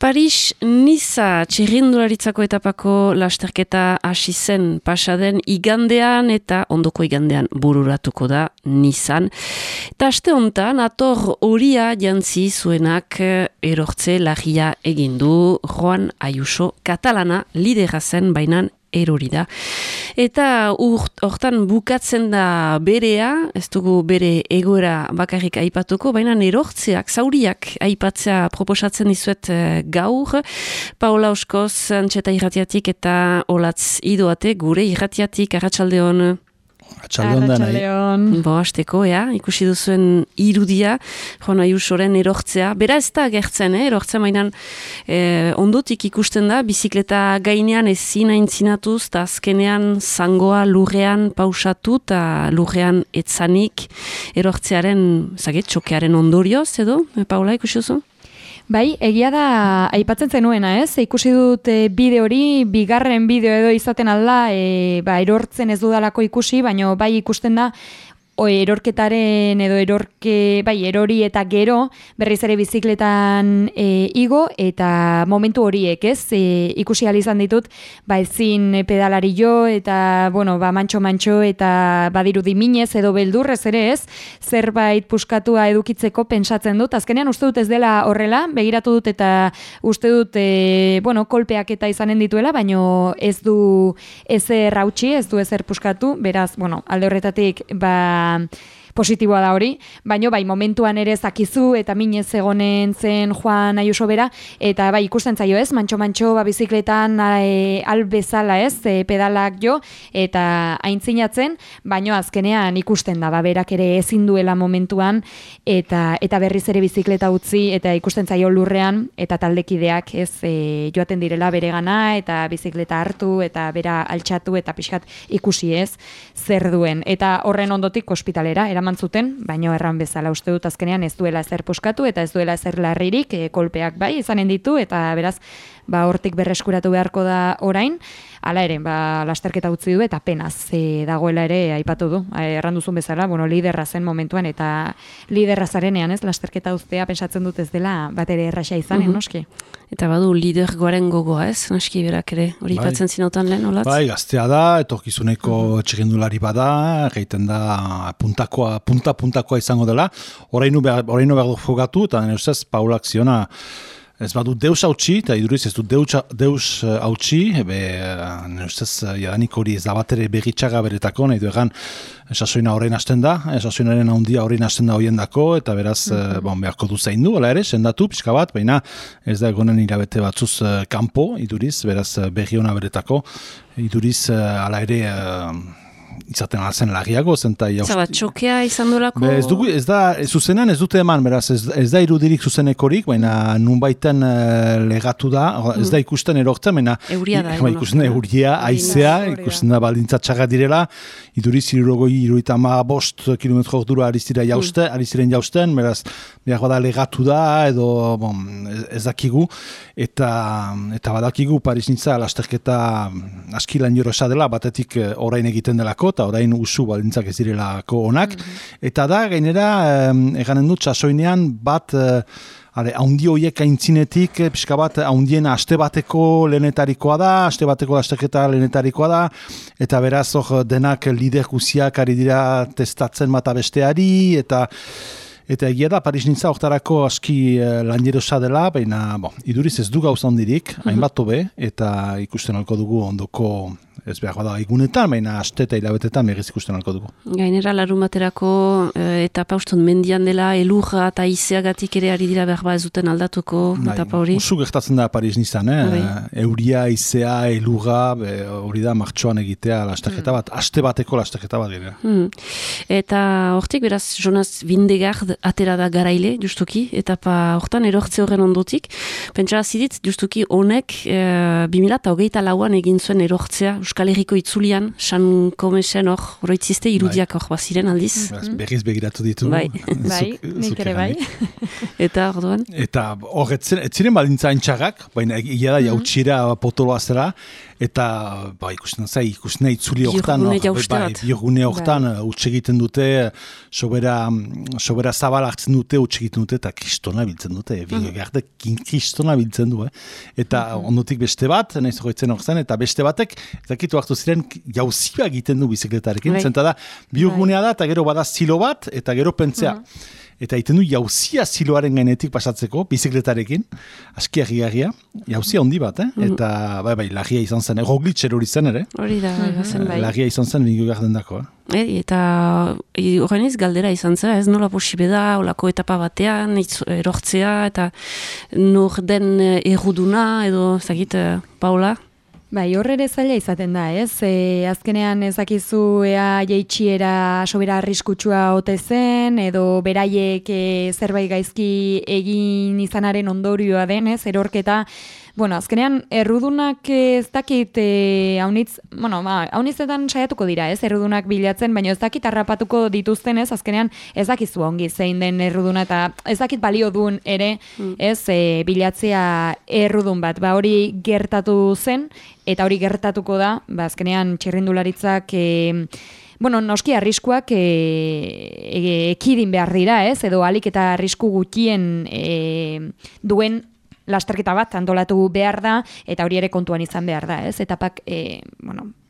Paris-Niza txirrindularitzako etapako lasterketa hasi zen pasaden igandean eta ondoko igandean bururatuko da Nizan. Eta aste honetan, ator horia jantzi zuenak erortze lagia egindu Juan Ayuso katalana lidera zen bainan erori da. Eta hortan bukatzen da berea, ez dugu bere egoera bakarrik aipatuko, baina erortzeak, zauriak aipatzea proposatzen dizuet gaur. Paola Oskoz, Antxeta irratiatik eta Olatz Idoate, gure irratiatik, arratsaldeon. Arratsaldeon. Hasteko, ikusi duzuen irudia, Juan Ayusoren erortzea. Bera ez da gertzen, erortzea mainan ondotik ikusten da, bizikleta gainean ezin aintzinatuz, eta azkenean zangoa lurrean pausatu, eta lurrean etzanik erortzearen, txokearen ondorioz, edo? Paula, ikusi duzu? Bai, egia da aipatzen zenuena, ez? Ikusi dut bideo hori, bigarren bideo edo izaten alda, erortzen ez dudalako ikusi, baina bai ikusten da, erorketaren edo erori eta gero berriz ere bizikletan igo eta momentu horiek, ez? Ikusi ahal izan ditut, ezin pedalari jo eta, mantxo eta badirudi minez edo beldurrez ere, ez? Zerbait puskatua edukitzeko pentsatzen dut. Azkenean uste dut ez dela horrela, begiratu dut eta uste dut, kolpeak eta izanen dituela, baino ez du ezer hautsi, ez du ezer puskatu, beraz, alde horretatik, positiboa da hori, baina momentuan ere zakizu eta minez egonen zen Juan Ayuso bera, eta ikusten zaio, ez, mantxo bizikletan albezala, ez, pedalak jo, eta aintzinatzen, baina azkenean ikusten da, berak ere ezin duela momentuan, eta berriz ere bizikleta utzi, eta ikusten zaio lurrean, eta taldekideak, ez, joaten direla bere gana, eta bizikleta hartu, eta bera altxatu, eta pixkat ikusi, ez, zer duen, eta horren ondotik ospitalera, eraman zuten, baino erran bezala uste dut azkenean ez duela ezer puskatu eta ez duela ezer larririk, kolpeak izanen ditu, eta beraz, hortik berreskuratu beharko da orain, hala ere, lasterketa utzi du eta penaz dagoela ere aipatu du, erran duzun bezala, liderra zen momentuan, eta liderra zarenean, ez, lasterketa uztea pensatzen dut ez dela bat ere erraxa izanen, noski? Eta badu lidergoaren gogoa, ez, noski berak ere, hori ipatzen zinotan lehen, Olatz? Gaztea da, etorkizuneko txirrindulari bada, egiten da puntakoa izango dela, oraino behar du jogatu, eta nire ustez, Paulak ziona, ez badu deus hautsi, eta iduriz ez du deus hautsi, nire ustez, jadanik hori ez da bat ere begitxaga beretako, nahi du egan, sasoina horrein hasten da, sasoinaren handia horrein hasten da horien dako, eta beraz, beharko du zain du, ala ere, sendatu, pixka bat, baina ez da egonen hilabete batzuz kanpo, iduriz, beraz, berri hona beretako, iduriz, ala ere, izaten alzen lagiago, zenta Zabat, txokea izan dolako? Ez da, zuzenean ez dute eman, beraz, ez da irudirik zuzenekorik, baina nunbaiten legatu da, ez da ikusten erortzen, baina ikusten euria, aizea, ikusten da baldintza txaga direla, iduriz 65 kilometro ordura ari ziren jausten, beraz, behar bada legatu da, edo, ez dakigu, eta badakigu Paris-Niza lasterketa askilan jorosa dela, batetik orain egiten delako, eta orain usu baldintzak ez direlako onak, eta da, gainera, eganen dut, sasoinean bat, haundi horiek aintzinetik, pixka bat, haundiena aste bateko lehenetarikoa da, aste bateko lasterketa lehenetarikoa da, eta beraz, denak lider guziak ari dira testatzen bata besteari, eta egia da, Paris-Niza hortarako aski lanjerosa dela, baina, iduriz ez du gauza hondirik, hainbat tobe, eta ikusten alko dugu ondoko, ez behar bada egunetan, baina aste eta hilabetetan berriz ikusten alko dugu. Gainera, larun baterako etapa uston mendian dela, elurra eta izeagatik ere ari dira behar ez duten aldatuko etapa hori. Usu gertatzen da Paris-Nizan, euria, izea, elurra, hori da martxoan egitea lasterketa bat, aste bateko lasterketa bat gira. Eta hortik, beraz, Jonas Vingegaard atera da garaile, justuki, etapa hortan erortze horren ondotik. Pentsara zidit, justuki honek 2024an egin zuen erortzea Euskal Herriko itzulian, San Komesen oroitzizte irudiak baziren aldiz. Berriz begiratu ditu. Bai, nik ere bai. Eta orduan? Eta hor, etziren baldintza haintxagak, baina egia da jautxira potoloa zera, eta ikusten itzuli hortan, biogune hortan utxe egiten dute, sobera zabal hartzen dute, utxe egiten dute, eta kristona biltzen dute, kristona biltzen du, eta ondotik beste bat, nahiz horretzen horzen, eta beste batek, ezakitu hartu ziren, jauzia egiten du bizikletarekin, zenta da, biogunea da, eta gero bada zilo bat, eta gero pentsea. Eta egiten du jauzia ziloaren gainetik pasatzeko, bizikletarekin, aski agigarria, jauzia handi bat, eta lagia izan zen, Roglic hori zen ere. Hori da, bai. Lagia izan zen, bingo garden dako. Eta horren galdera izan zen, ez nola posibe da, olako etapa batean, erortzea, eta nor den erruduna, edo, zagit, Paula? Bai, horre zaila izaten da, ez? Azkenean ezakizu ea jeitxiera sobera arriskutsua ote zen, edo beraiek zerbait gaizki egin izanaren ondorioa den, ez? Erorketa, azkenean errudunak ez dakit haunitzetan saiatuko dira, ez? Errudunak bilatzen, baina ez dakit harrapatuko dituzten, ez? Azkenean ez dakizu ongi zein den erruduna, eta ez dakit balio duen ere, ez? Bilatzea errudun bat, hori gertatu zen, eta hori gertatuko da, azkenean txirrindularitzak noski arriskuak ekidin behar dira, ez? Edo alik eta arrisku gutxien duen lasterketa bat antolatu behar da, eta hori ere kontuan izan behar da, ez? Etapak,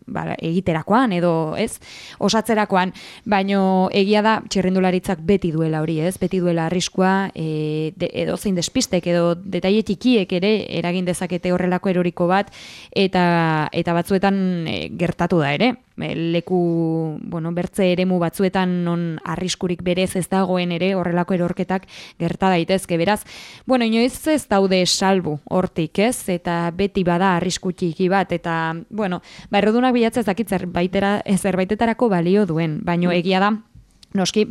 egiterakoan edo, ez? Osatzerakoan, baino egia da txirrindularitzak beti duela hori, ez? Beti duela arriskua, edo zein despistek, edo detaile txikiek ere eragin dezakete horrelako eroriko bat, eta batzuetan gertatu da ere. Leku, bertze eremu batzuetan non arriskurik berez ez dagoen ere horrelako erorketak gerta daitezke. Beraz, inoiz ez daude salbu hortik, ez? Eta beti bada arrisku txiki bat, eta, errudunak bilatzea ez dakit zerbaitetarako balio duen, baino egia da, noski,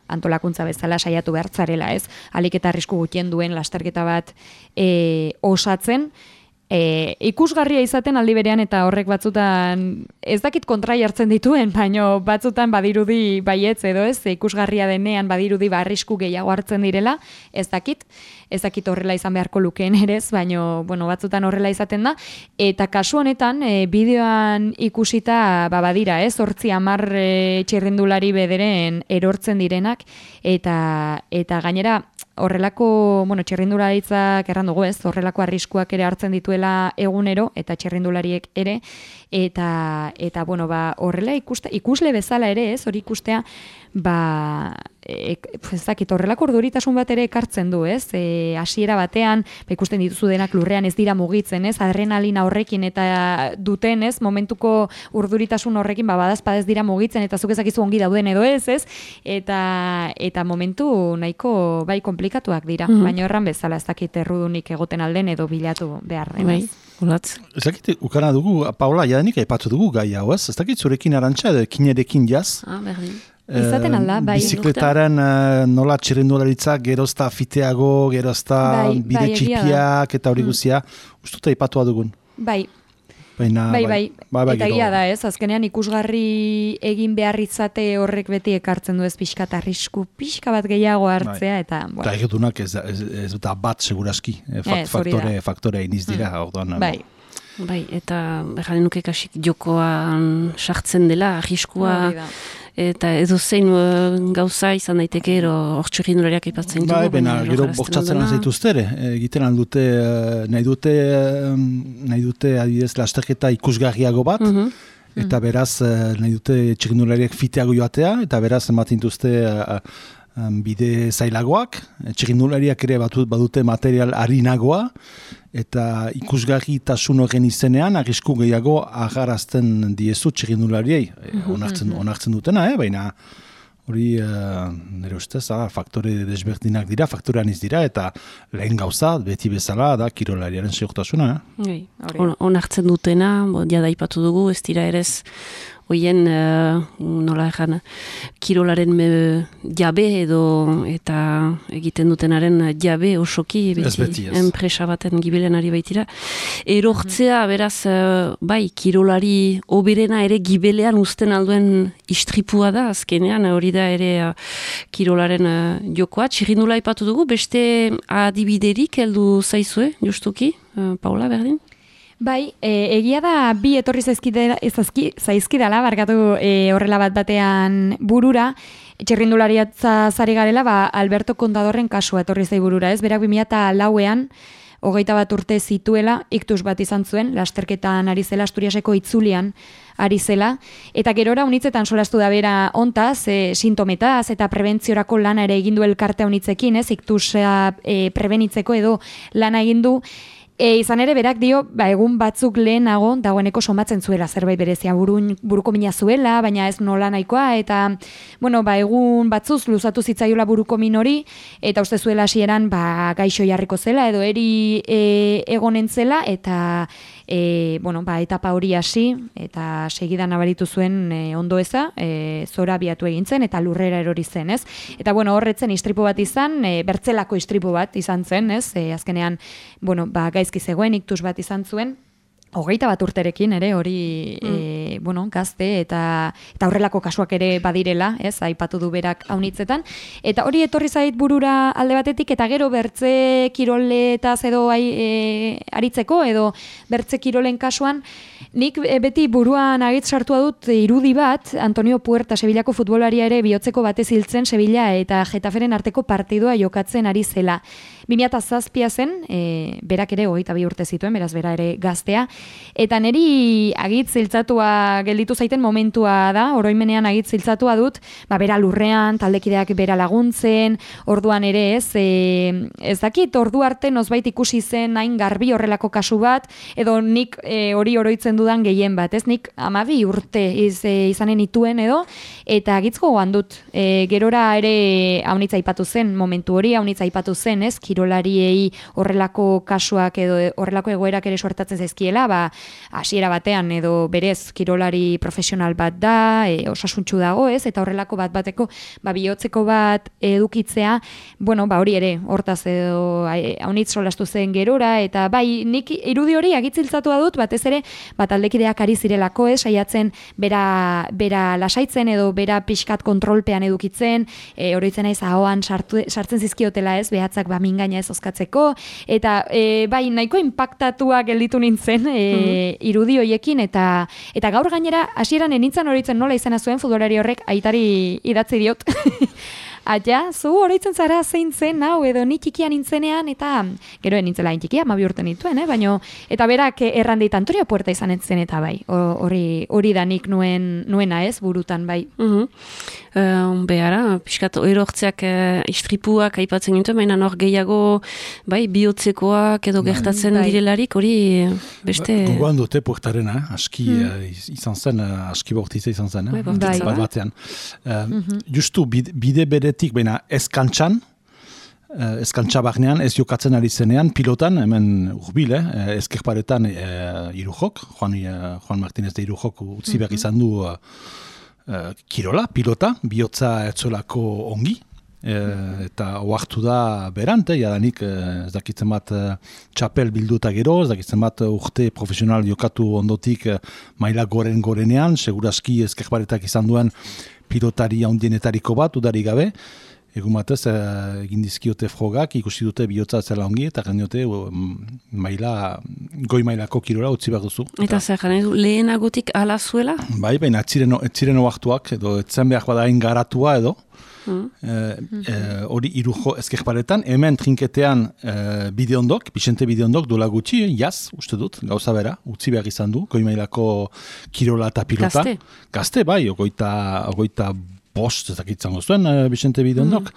antolakuntza bezala saiatu behartzarela, ez? Alik eta arrisku gutxien duen lasterketa bat osatzen, ikusgarria izaten aldi berean, eta horrek batzutan ez dakit kontrai hartzen dituen, baino batzutan badirudi baietz edo ez, ikusgarria denean badirudi arrisku gehiago hartzen direla, ez dakit horrela izan beharko lukeen ere, baino batzutan horrela izaten da, eta kasu honetan bideoan ikusita badira, ez, 8-10 txirrindulari bederen erortzen direnak, eta gainera horrelako, txirrindularitzak erran dugu, ez, horrelako arriskuak ere hartzen dituela egunero, eta txirrindulariek ere, eta horrela ikusle bezala ere, ez, hori ikustea, horrelako orduritasun bat ere ekartzen du, ez, hasiera batean, ikusten dituzu denak lurrean ez dira mugitzen, ez, adrenalina horrekin eta duten, ez, momentuko urduritasun horrekin, badazpadez dira mugitzen, eta zuk ezakizu ongi dauden edo ez, eta momentu nahiko komplikatuak dira, baina erran bezala ez dakit errudunik egoten alden edo bilatu behar den, ez. Ez dakit, ukana dugu, Paula, jadanik aipatu dugu gai hau, ez? Ez dakit zurekin arantxa edo kinerekin jaz? Berdin. Izaten alda, bai. Bizikletaren nola txirrindularitzak gerozta fiteago, gerozta bide txipiak eta hori guzia, ustuta aipatua dugun. Bai. Eta egia da, ez, azkenean ikusgarri egin behar izate horrek beti ekartzen du ez pixkat arrisku, pixka bat gehiago hartzea, eta... Eta egetunak ez da bat seguraski, faktorea iniz dira, orduan. Bai, eta erranen nuke kasik jokoan sartzen dela, arriskua... Eta edo zein gauza izan daiteke, hor txirrindulariak aipatzen dugu. Baina, gero bortzatzen zaituzte ere. Egiten aldute, nahi dute adibidez lasterketa ikusgarriago bat, eta beraz nahi dute txirrindulariak fiteago joatea, eta beraz ematen duzte bide zailagoak, txirrindulariak ere badute material harinagoa, eta ikusgarritasun horren izenean arrisku gehiago agarazten diezu txirrindulariei. Onartzen dutena, baina hori nire ustez, faktore desberdinak dira, faktorean iz dira, eta lehen gauza, beti bezala, da kirolariaren segurtasuna. Onartzen dutena, jada ipatu dugu, ez dira erez hoien, nola egan, kirolaren jabe edo eta egiten dutenaren jabe osoki beti enpresa baten gibilen ari baitira. Erortzea, beraz, bai, kirolari oberena ere gibelean uzten alduen istripua da, azkenean, hori da ere kirolaren jokoa. Txirrindula ipatu dugu, beste adibiderik heldu zaizue, justuki, Paula, berdin? Bai, egia da bi etorri zaizkidala, barkatu horrela batean burura, txirrindulariatza zari garela, Alberto Contadorren kasua etorri zai burura, ez? Berak 2004ean, 21 urte zituela, iktus bat izan zuen, lasterketan ari zela, Asturiaseko itzulian ari zela, eta gerora unitzetan solastu da bera ontaz, sintometaz eta prebentziorako lana ere egindu elkartea unitzekin, ez? Iktusa prebenitzeko edo lana egindu. Izan ere berak dio, egun batzuk lehenago dagoeneko somatzen zuela zerbait berezia buruko mina zuela, baina ez nola nahikoa, eta egun batzuz luzatu zitzaiola buruko min hori, eta uste zuela hasieran gaixo jarriko zela, edo eri egonen zela, eta etapa hori hasi, eta segidan nabaritu zuen ondo eza, zora abiatu egin zen, eta lurrera erori zen, ez? Eta horretzen istripu bat izan, bertzelako istripu bat izan zen, ez? Azkenean, gaizki zegoen, iktus bat izan zuen, 21 urterekin ere hori gazte eta horrelako kasuak ere badirela, ez, aipatu du berak haunitzetan, eta hori etorri zait burura alde batetik, eta gero bertze kiroletaz edo aritzeko, edo bertze kirolen kasuan, nik beti buruan agitz sartua dut irudi bat, Antonio Puerta, Sevillako futbolaria ere bihotzeko batez hiltzen Sevilla eta Getaferen arteko partidua jokatzen ari zela. 2007 zen, berak ere 22 urte zituen, beraz bera ere gaztea, eta niri agitz hiltzatua gelditu zaiten momentua da, oroimenean agitz hiltzatua dut, bera lurrean, taldekideak bera laguntzen, orduan ere ez dakit, ordu arte nozbait ikusi zen hain garbi horrelako kasu bat, edo nik hori oroitzen dudan gehien bat, ez nik 12 urte izanen ituen edo, eta agitz gogoan dut, gerora ere haunitza aipatu zen, momentu hori haunitza aipatu zen, ez, kirolariei horrelako kasuak edo horrelako egoerak ere suertatzen zaizkiela, hasiera batean edo berez kirolari profesional bat da, osasuntsu dago, ez, eta horrelako bateko bihotzeko bat edukitzea, hori ere, hortaz edo haunitz solastu zen gerora, eta nik irudi hori agitziltzatua dut, batez ere, taldekideak ari zirelako, ez, saiatzen bera lasaitzen edo bera pixkat kontrolpean edukitzen, oroitzen naiz ahoan sartzen zizkiotela, ez, behatzak mingaina ez oskatzeko, eta nahiko impactatua gelditu nintzen irudi hoiekin, eta gaur gainera hasieran enintzan horitzen nola izena zuen futbolari horrek aitari idatzi diot. Aia, zu oroitzen zara zein zen, hau, edo ni txikia nintzenean, eta gero nintzela txikia, 12 urte nituen, baina, eta berak errandeit Antonio Puerta izan zen, eta hori da nik nuena ez, burutan, bai. Behara, pixkat erortzeak istripuak aipatzen gintuen, baina hor gehiago, bihotzekoak edo gertatzen direlarik, hori beste... Gogoan dute Puertarena, aski izan zen, aski bortitza izan zen, bat batean. Justu, bide beretik, baina ez kantxan barnean, ez jokatzen ari zenean, pilotan, hemen urbil, ezkerparetan Irujok, Juan Martínez de Irujok utzi behar izan du kirola, pilota, bihotza etzolako ongi, eta oartu da berante, jadanik ez dakitzen bat txapel bilduta gero, ez dakitzen bat urte profesional jokatu ondotik maila gorenean, seguraski ezkerparetak izan duen pilotari handienetariko bat, udari gabe, egun batez egin dizkiote frogak, ikusi dute bihotza zela ongi, eta gandiote goi mailako kirola utzi behar duzu. Eta zer gane du, lehenagotik ala zuela? Bai, baina etziren oartuak, edo etzen behar badain garatua edo, hori Irujo ezkerparetan, hemen trinketean Bixente Bideondok dola gutxi, uste dut, gauza bera, utzi behar izan du, goi mailako kirola eta pilota. Gazte, bai, ogoita bost ezakitzen gozuen Bixente Bideondok,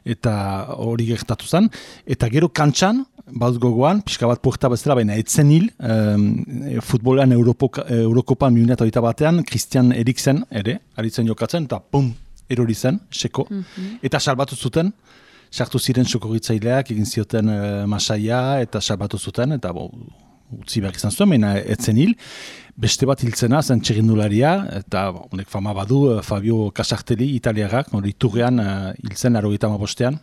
eta hori gertatu zen, eta gero kantxan, bat gogoan, pixka bat Puerta bezala, baina etzen hil, futbolean Eurokopan 2008 batean, Christian Eriksen ere, aritzen jokatzen, eta pum, erori zen, seko, eta salbatu zuten, sartu ziren sokorritzaileak, egin zioten masaia, eta salbatu zuten, eta utzi behar izan zuen, baina etzen hil. Beste bat hiltzena zen txirrindularia, eta honek fama badu Fabio Casartelli italiarrak, Iturrean hiltzen 95ean,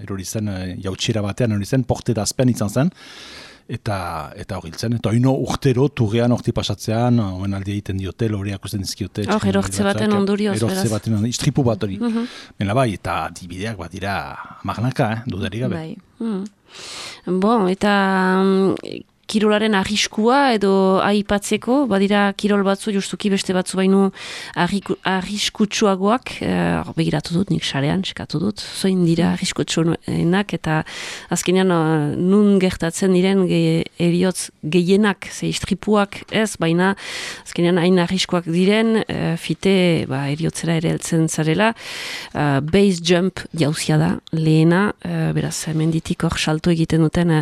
erori zen jautxera batean, erori zen porte d'azpen izan zen, eta hori hiltzen, eta hino urtero Turrean horti pasatzean, oen aldi egiten diote, loriak usten dizkiote. Erortze baten ondorioz, beraz. Erortze baten ondorioz, istripu bat hori. Bena bai, eta dibideak bat dira magnaka, dudarik gabe. Bon, eta kirolaren arriskua edo aipatzeko, badira kirol batzu justuki beste batzu baino arriskutsuagoak, begiratu dut, nik sarean, eskatu dut, zoin dira arriskutsuenak, eta azkenean nun gertatzen diren eriotz gehienak, ze istripuak ez, baina azkenean hain arriskuak diren, fite eriotzera ere heltzen zarela, base jump jauzia da, lehena, beraz, menditik hor salto egiten duten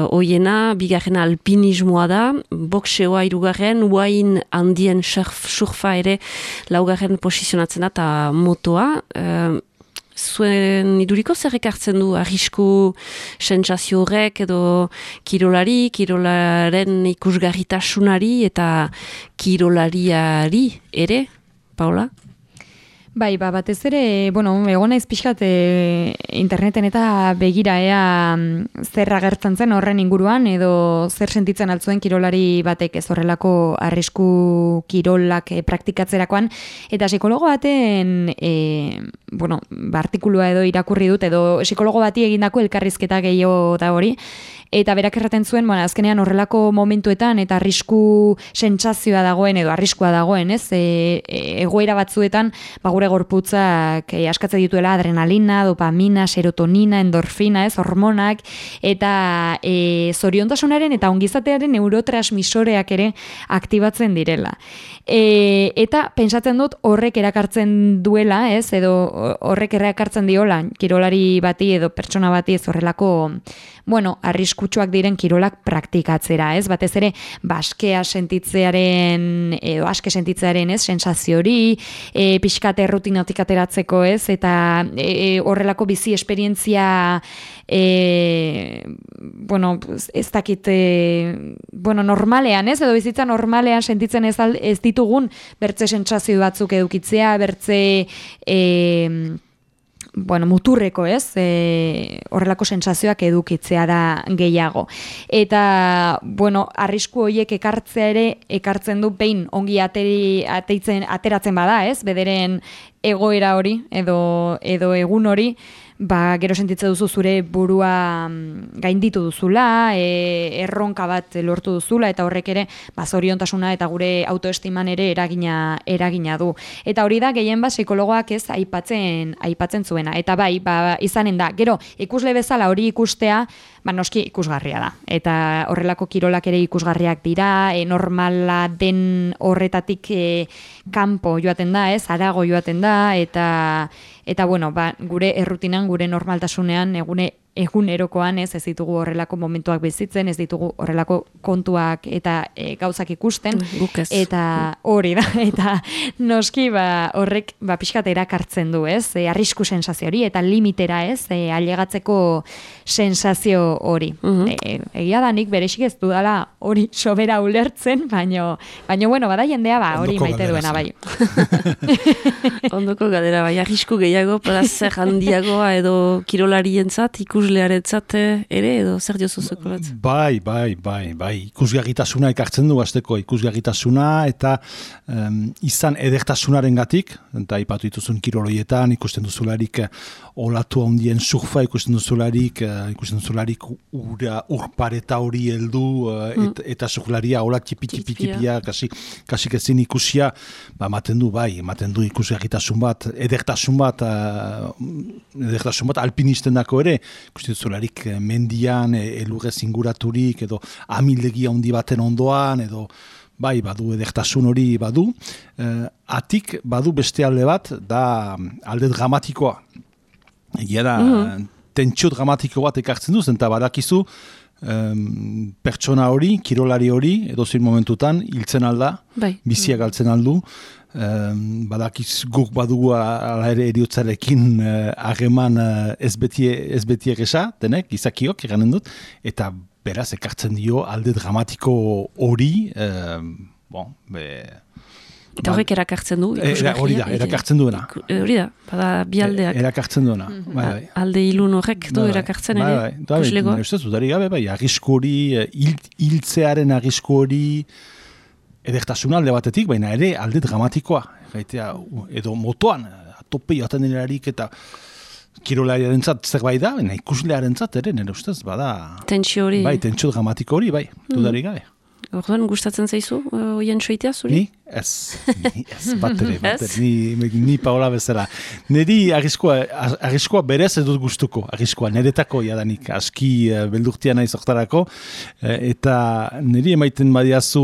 oiena, bigarrena alpinismoa da, boxeoa 3, uain handien surfa ere 4 posizionatzen da, eta motoa. Zuen iduriko zer ekartzen du arrisku sentsazio horrek edo kirolaren ikusgarritasunari eta kirolariari ere, Paula? Bai, batez ere, egon naiz pixkat interneten eta begira zer agertzen zen horren inguruan edo zer sentitzen altzuen kirolari batek ez horrelako arrisku kirolak praktikatzerakoan, eta psikologo baten artikulua edo irakurri dut, edo psikologo bati egindako elkarrizketa gehiago da hori, eta berak erraten zuen, azkenean horrelako momentuetan eta arrisku sentsazioa dagoen edo arriskua dagoen, ez? Egoera batzuetan, gure gorputzak askatzen dituela adrenalina, dopamina, serotonina, endorfina, ez? Hormonak, eta zoriontasunaren eta ongizatearen neurotransmisoreak ere aktibatzen direla. Eta pentsatzen dut horrek erakartzen duela, ez? Edo horrek erakartzen diola kirolari bati edo pertsona bati ez horrelako arriskutsuak diren kirolak praktikatzera, ez? Batez ere, askea sentitzearen, edo aske sentitzearen, ez? Sensazio hori, pixkate rutinatik ateratzeko, ez? Eta horrelako bizi esperientzia, ez dakit, normalean, ez? Edo bizitza normalean sentitzen ez ditugun, bertze sentsazio batzuk edukitzea, bertze muturreko, ez? Horrelako sentsazioak edukitzea da gehiago. Eta, arrisku horiek ekartzea ere, ekartzen du behin ongi ateratzen bada, ez? Bederen egoera hori, edo egun hori, gero sentitzen duzu zure burua gainditu duzula, erronka bat lortu duzula, eta horrek ere zoriontasuna eta gure autoestiman ere eragina du. Eta hori da gehien psikologoak ez aipatzen zuena. Eta izanen da, gero ikusle bezala hori ikustea, noski ikusgarria da. Eta horrelako kirolak ere ikusgarriak dira, normala den horretatik kanpo joaten da, ez? Harago joaten da, eta gure errutinan, gure normaltasunean, egunerokoan ez ditugu horrelako momentuak bizitzen, ez ditugu horrelako kontuak eta gauzak ikusten, eta hori da, eta noski horrek pixkat erakartzen du, ez? Arrisku sensazio hori, eta limitera, ez? Ailegatzeko sensazio hori. Egia da nik berexik ez dudala hori sobera ulertzen, baina bada jendea hori maite duena, bai. Ondoko gadera, arrisku gehiago, plazer handiagoa edo kirolarientzat, ikuslearentzat ere, edo zer diozuzuko bat? Bai, ikusgarritasuna ekartzen du hasteko ikusgarritasuna, eta izan edertasunaren gatik, eta ipatu dituzun kiroloietan, ikusten duzularik olatu handien surfa, ikusten duzularik urpareta hori heldu, eta surflaria ola tipi-tipia, kasik ezin ikusia, ematen du ikusgarritasun bat, edertasun bat alpinisten dako ere, ikusten duzularik mendian, elurrez inguraturik, edo amildegi handi baten ondoan, edo badu edertasun hori badu. Atik badu beste alde bat, da alde dramatikoa. Egia da, tentsio dramatiko bat ekartzen duz, eta badakizu pertsona hori, kirolari hori, edozein momentutan, hiltzen alda, biziak galtzen aldu, badakiz guk badugu ala ere eriotzarekin hageman ez betiek esa, denek, gizakiok, eganen dut, eta beraz, ekartzen dio alde dramatiko hori, eta horrek erakartzen du? Hori da, erakartzen duena. Hori da, bada bi aldeak. Erakartzen duena, Alde ilun horrek du erakartzen ere, kuslegoa? Ez dudari gabe, arrisku hori, hiltzearen arrisku hori, edertasun alde batetik, baina ere alde dramatikoa. Edo motoan, tope joaten denerarik eta kirolariaren zat zerbait da, baina ikuslearen zat ere, nire ustez, bada... Tentsio hori. Bai, tentsio dramatiko hori, bai, dudari gabe. Orduan, gustatzen zaizu, oien soitea, zuri? Ni? Ez, batere, ni Paola bezala. Neri arriskoa berez ez dut gustuko, arriskoa, niretako jadanik, aski beldurtia nahi zortarako, eta niri emaiten badiazu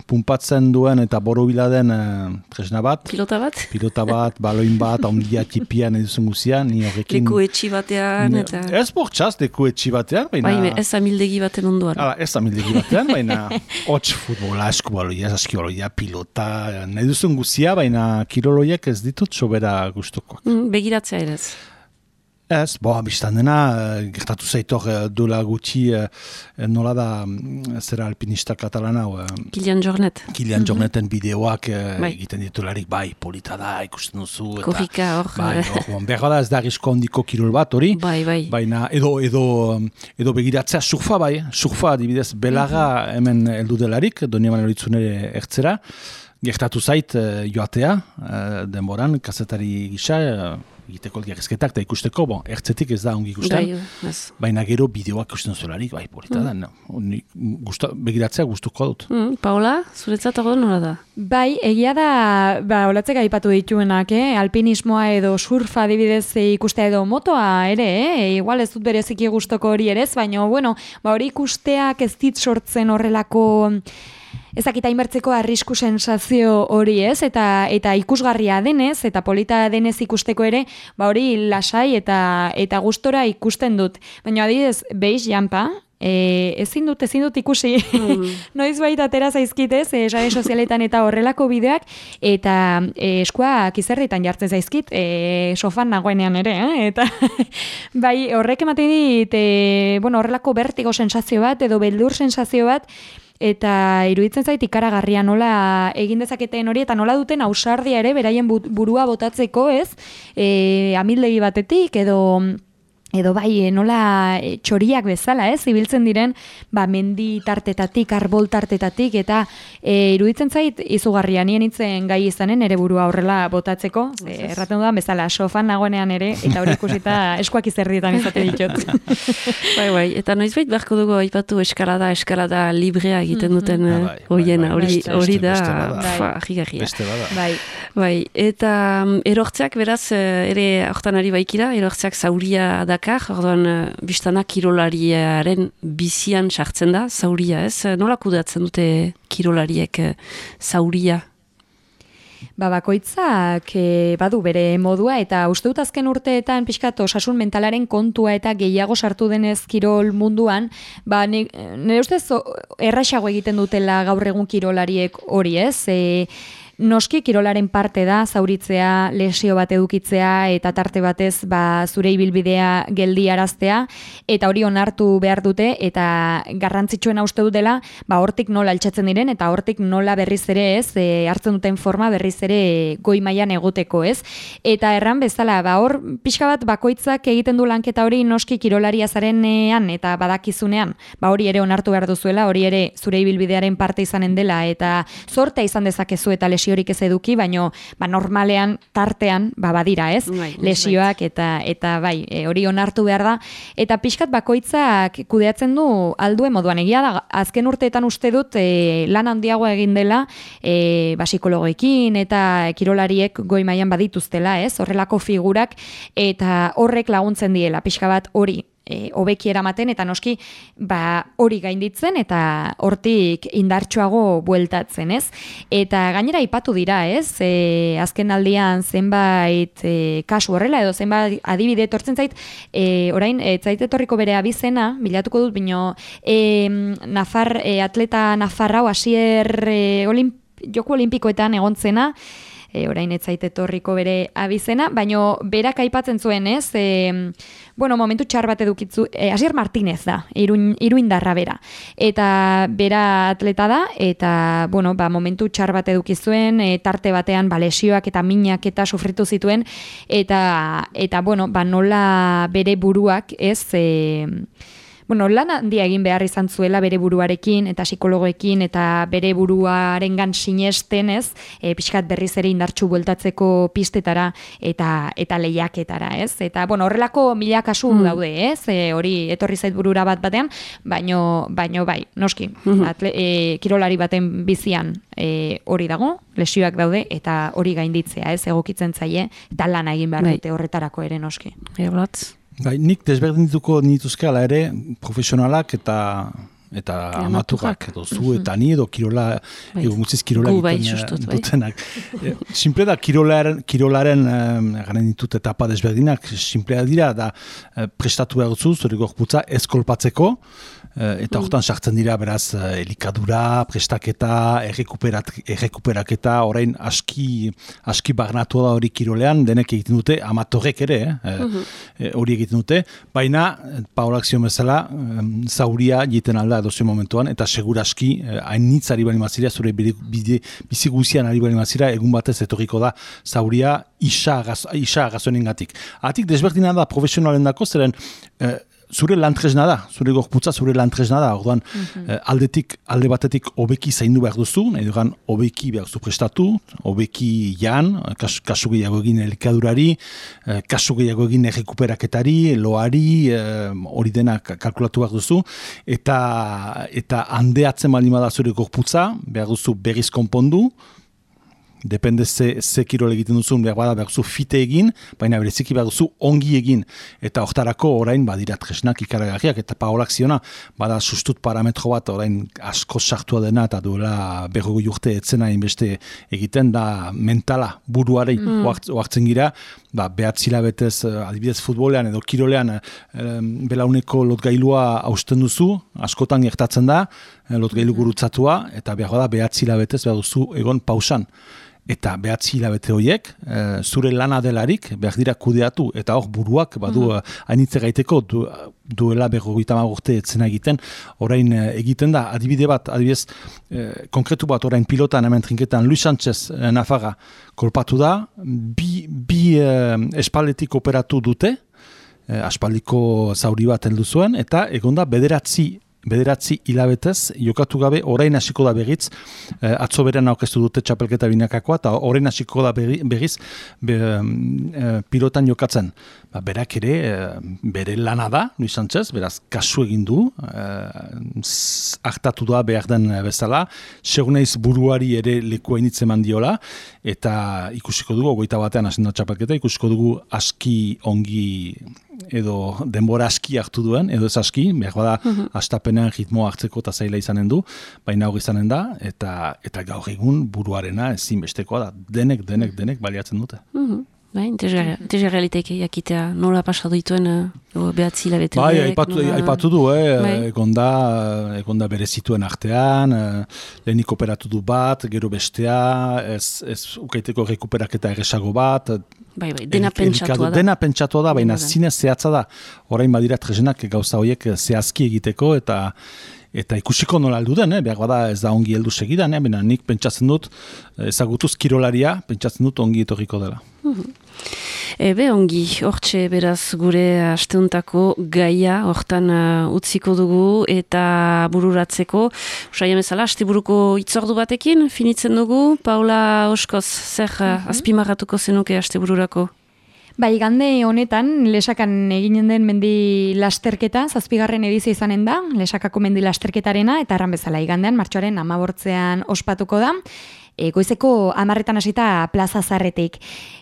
pumpatzen duen eta borobila den tresna bat. Pilota bat, baloin bat, ondia tipian eduzun guzia, ni horrekin... Leku etxi batean, eta... Ez bortxaz, leku etxi batean, baina... Bai, ez amildegi baten onduan. Ez amildegi batean, baina... Hots futbola, eskubaloia, askibaloia, pilota, nahi duzun guzia, baina kiroloiak ez ditut sobera gustukoak. Begiratzea ere ez? Ez, biztan dena, gertatu zaitor dola gutxi, nola da, zera alpinista katalana. Kilian Jornet. Kilian Jorneten bideoak egiten ditularik, bai, polita da, ikusten duzu. Korrika hor. Behar da ez da arrisko handiko kirol bat hori. Bai. Baina edo begiratzea surfa bai, surfa adibidez belarra hemen heldu delarik, Donieman Horitzunere ertzera. Gertatu zait joatea, denboran, kazetari gisa, egiteko elgarrizketak eta ikusteko, ertzetik ez da ongi ikusten, baina gero bideoak ikusten zularik, bai, polita da, begiratzea gustuko dut. Paola, zuretzat hori nola da? Bai, egia da, olatzek aipatu dituenak, alpinismoa edo surfa adibidez ikustea edo motoa ere, igual ez dut bereziki gustoko hori ere, baina, hori ikusteak ez dit sortzen horrelako... Ezakita inbertzeko arrisku sensazio hori ez, eta ikusgarria denez, eta polita denez ikusteko ere, hori lasai eta gustora ikusten dut. Baina adibidez, beiz jampa, ezin dut ikusi, noiz baita atera zaizkitez, sare sozialetan eta horrelako bideoak, eta eskuak izerritan jartzen zaizkit, sofan nagoenean ere, eta bai horrek ematen dit, horrelako bertigo sensazio bat, edo beldur sensazio bat, eta iruditzen zait ikaragarria nola egin dezaketen hori, eta nola duten ausardia ere beraien burua botatzeko, ez? Amildegi batetik, edo bai, nola txoriak bezala, ez? Ibiltzen diren, mendi tartetatik, arbol tartetatik, eta iruditzen zait izugarria nien itzen gai izanen ere burua horrela botatzeko, erraten dudan bezala, sofan nagoenean ere, eta hori ikusita eskuak izerdietan izate ditut. Bai, eta noizbait beharko dugu aipatu eskalada librea egiten duten hoiena, hori da, jigarria. Beste bada. Bai, eta erortzeak beraz, ere hortan ari baikira, erortzeak zauria da orduan, biztana kirolariaren bizian sartzen da, zauria, ez? Nola kudeatzen dute kirolariek zauria? Bakoitzak badu bere modua, eta uste dut azken urteetan pixkat osasun mentalaren kontua eta gehiago sartu denez kirol munduan, nire ustez erraxago egiten dutela gaur egun kirolariek hori, ez? Noski kirolaren parte da zauritzea, lesio bat edukitzea eta tarte batez zure ibilbidea geldiaraztea, eta hori onartu behar dute, eta garrantzitsuena uste dut dela hortik nola altxatzen diren eta hortik nola berriz ere ez, hartzen duten forma berriz ere goi mailan egoteko, ez? Eta erran bezala, hor pixka bat bakoitzak egiten du lanketa hori noski kirolaria zarenean eta badakizunean, hori ere onartu behar duzuela, hori ere zure ibilbidearen parte izanen dela, eta zortea izan dezakezu eta lesio horik ez eduki, baino normalean tartean badira, ez? Lesioak eta bai, hori onartu behar da, eta pixkat bakoitzak kudeatzen du alduen moduan. Egia da, azken urteetan uste dut lan handiagoa egin dela, psikologoekin eta kirolariek goi mailan badituztela, ez? Horrelako figurak, eta horrek laguntzen diela, pixka bat hori hobeki eramaten, eta noski hori gainditzen eta hortik indartsuago bueltatzen, ez? Eta gainera aipatu dira, ez? Azken aldian zenbait kasu horrela, edo zenbait adibide etortzen zait, orain, zait etorriko bere abizena, bilatuko dut, bino atleta Nafarrau Asier Joko Olimpikoetan egontzena, orain ez zait etorriko bere abizena, baino berak aipatzen zuen, ez? Momentu txar bat edukitzu, Asier Martínez da, iruindarra bera. Eta bera atleta da, eta, momentu txar bat edukizuen, tarte batean, lesioak eta minak eta sufritu zituen, eta nola bere buruak, ez, lan handia egin behar izan zuela bere buruarekin eta psikologoekin eta bere buruarengan sinesten, ez, pixkat berriz ere indartsu bueltatzeko pistetara eta lehiaketara, ez? Eta, horrelako mila kasu daude, ez? Hori etorri zait burura batean, baino bai, noski, kirolari baten bizian hori dago, lesioak daude, eta hori gainditzea, ez, egokitzen zaie, eta lana egin behar dute horretarako ere, noski. Nik desberdintuko nituzke ala ere profesionalak eta amaturak edo zu eta ni edo kirola gutziz kirola egiten dutenak. Simple da kirolaren garen ditut etapa desberdinak, simplea dira da prestatu behar duzu zure gorputza ez kolpatzeko, eta hortan sartzen dira beraz elikadura, prestaketa, errekuperaketa, orain aski barnatu da hori kirolean, denek egiten dute, amatorek ere, hori egiten dute, baina Paolak zion bezala, zauria egiten alda edozio momentuan, eta seguraski hainitz ari bali mazira, zure bizi guzian ari bali mazira, egun batez etorriko da zauria isa agazoenen gatik. Atik desberdina da profesionalen dako, zeren zure lantresna da, zure gorputza zure lantresna da, orduan alde batetik hobeki zaindu behar duzu, nahi dugan hobeki behar duzu prestatu, hobeki jan, kasu gehiago egin elikadurari, kasu gehiago egin errekuperaketari, loari, hori dena kalkulatu behar duzu, eta handeatzen baldin bada zure gorputza, behar duzu berriz konpondu, depende ze kirol egiten duzun, behar duzu fite egin, baina bereziki behar duzu ongi egin. Eta hortarako orain badira tresnak ikaragarriak, eta Paolak ziona, bada sustut parametro bat orain asko sartua dena, eta duela 40 urte etzena inbeste egiten, da mentala buruarei oartzen gira, behatzi hilabetez adibidez futbolean edo kirolean belauneko lotgailua hausten duzu, askotan gertatzen da, lotgailu gurutzatua, eta behar behatzi hilabetez behar duzu egon pausan. Eta behatzi hilabete horiek, zure lana delarik, behar dira kudeatu, eta hor buruak, badu hainitze gaiteko, duela 50 urte etzena egiten, orain egiten da, adibidez, konkretu bat orain pilotan hemen trinketan, Luis Sánchez Nafarra kolpatu da, bi espaldetik operatu dute, aspaldiko zauri bat heldu zuen, eta egonda bederatzi hilabetez, jokatu gabe, orain hasiko da berriz, atzo beren aurkeztu dute txapelketa binakakoa, eta orain hasiko da berriz pilotan jokatzen. Berak ere, bere lana da, Luis Sánchez, beraz, kasu egin du, hartatu da behar den bezala, seguneiz buruari ere leku hainitze mandiola, eta ikusiko dugu, 21 hasen da txapelketa, ikusiko dugu aski ongi edo denbora aski hartu duen, edo ez aski, behar bada astapenean ritmoa hartzeko eta zaila izanen du, baina hori izanen da, eta gaur egun buruarena ezinbestekoa da, denek baliatzen dute. Interesgarrialiteke jakitea nola pasatu dituen behatzi hilabete. Aipatu du, egonda bere zituen artean, lehenik operatu du bat, gero bestea, ez ukaiteko rekuperaketa erresago bat, dena pentsatua da. Dena pentsatua da, baina zinez zehatza da. Orain badira tresnak gauza horiek zehazki egiteko, eta ikusiko nola heldu den, behar bada ez da ongi heldu segidan, baina nik pentsatzen dut, ezagutuz kirolaria, pentsatzen dut ongi etorriko dela. Ongi, hortxe beraz gure asteuntako gaia, hortan utziko dugu eta bururatzeko. Usaiam ezala, asteburuko itzordu batekin, finitzen dugu. Paula Oskoz, zer azpimarratuko zenuke astebururako? Igande honetan, Lesakan eginen den mendi lasterketa, 7. edizio izanen da, Lesakako mendi lasterketarena, eta erran bezala igandean, martxoaren 15 ospatuko da, goizeko 10 hasita plaza zarretik.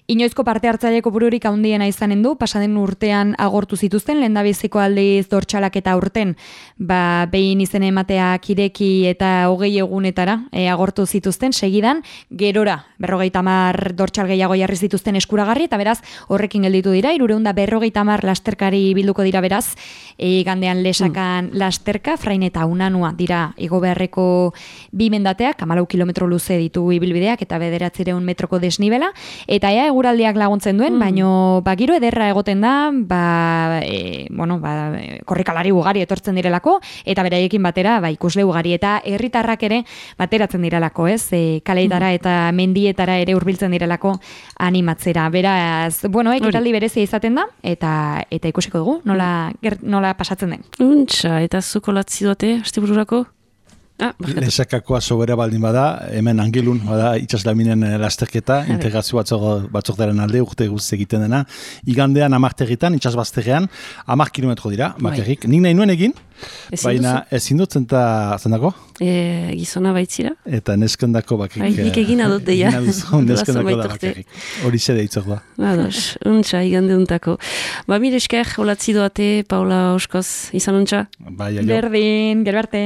Inoizko parte hartzaileko bururik handiena izanen du, pasaden urtean agortu zituzten, lehendabiziko aldiz dortxalak eta urten, behin izen ematea kireki eta 20 egunetara agortu zituzten, segidan, gerora, 50 dortxal gehiago jarri zituzten eskuragarri, eta beraz, horrekin gelditu dira, 350 lasterkari bilduko dira beraz, gandean Lesakan lasterka, Frain eta Unanua dira igo beharreko bi mendateak, 14 kilometro luze ditu ditugu ibilbideak eta 900 metroko desnibela, eta eguraldiak laguntzen duen, baino giro ederra egoten da, korrikalari ugari etortzen direlako, eta beraiekin batera ikusle ugari, eta herritarrak ere bateratzen direlako, ez? Kaleitara eta mendietara ere hurbiltzen direlako animatzera. Beraz, ekitaldi berezia izaten da, eta ikusiko dugu, nola pasatzen den. Untxa, eta zuko latzi duate, astebururako? Lezakakoa sobera baldin bada, hemen Angilun, itxaslaminen lasterketa, integrazio batzordaren alde urte guzti egiten dena, igandean 10 territan, itxasbazterrean, 10 kilometro dira, bakarrik. Nik nahi nuen egin, baina ezin dut zentako? Gizona baitzira. Eta neskendako bakik. Nik egin adot deia. Neskendako da bakarrik. Hori zede itzok da. Untxa, igande untako. Mire esker, holatzi doate, Paula Oskoz, izan untxa? Berdin, gero arte.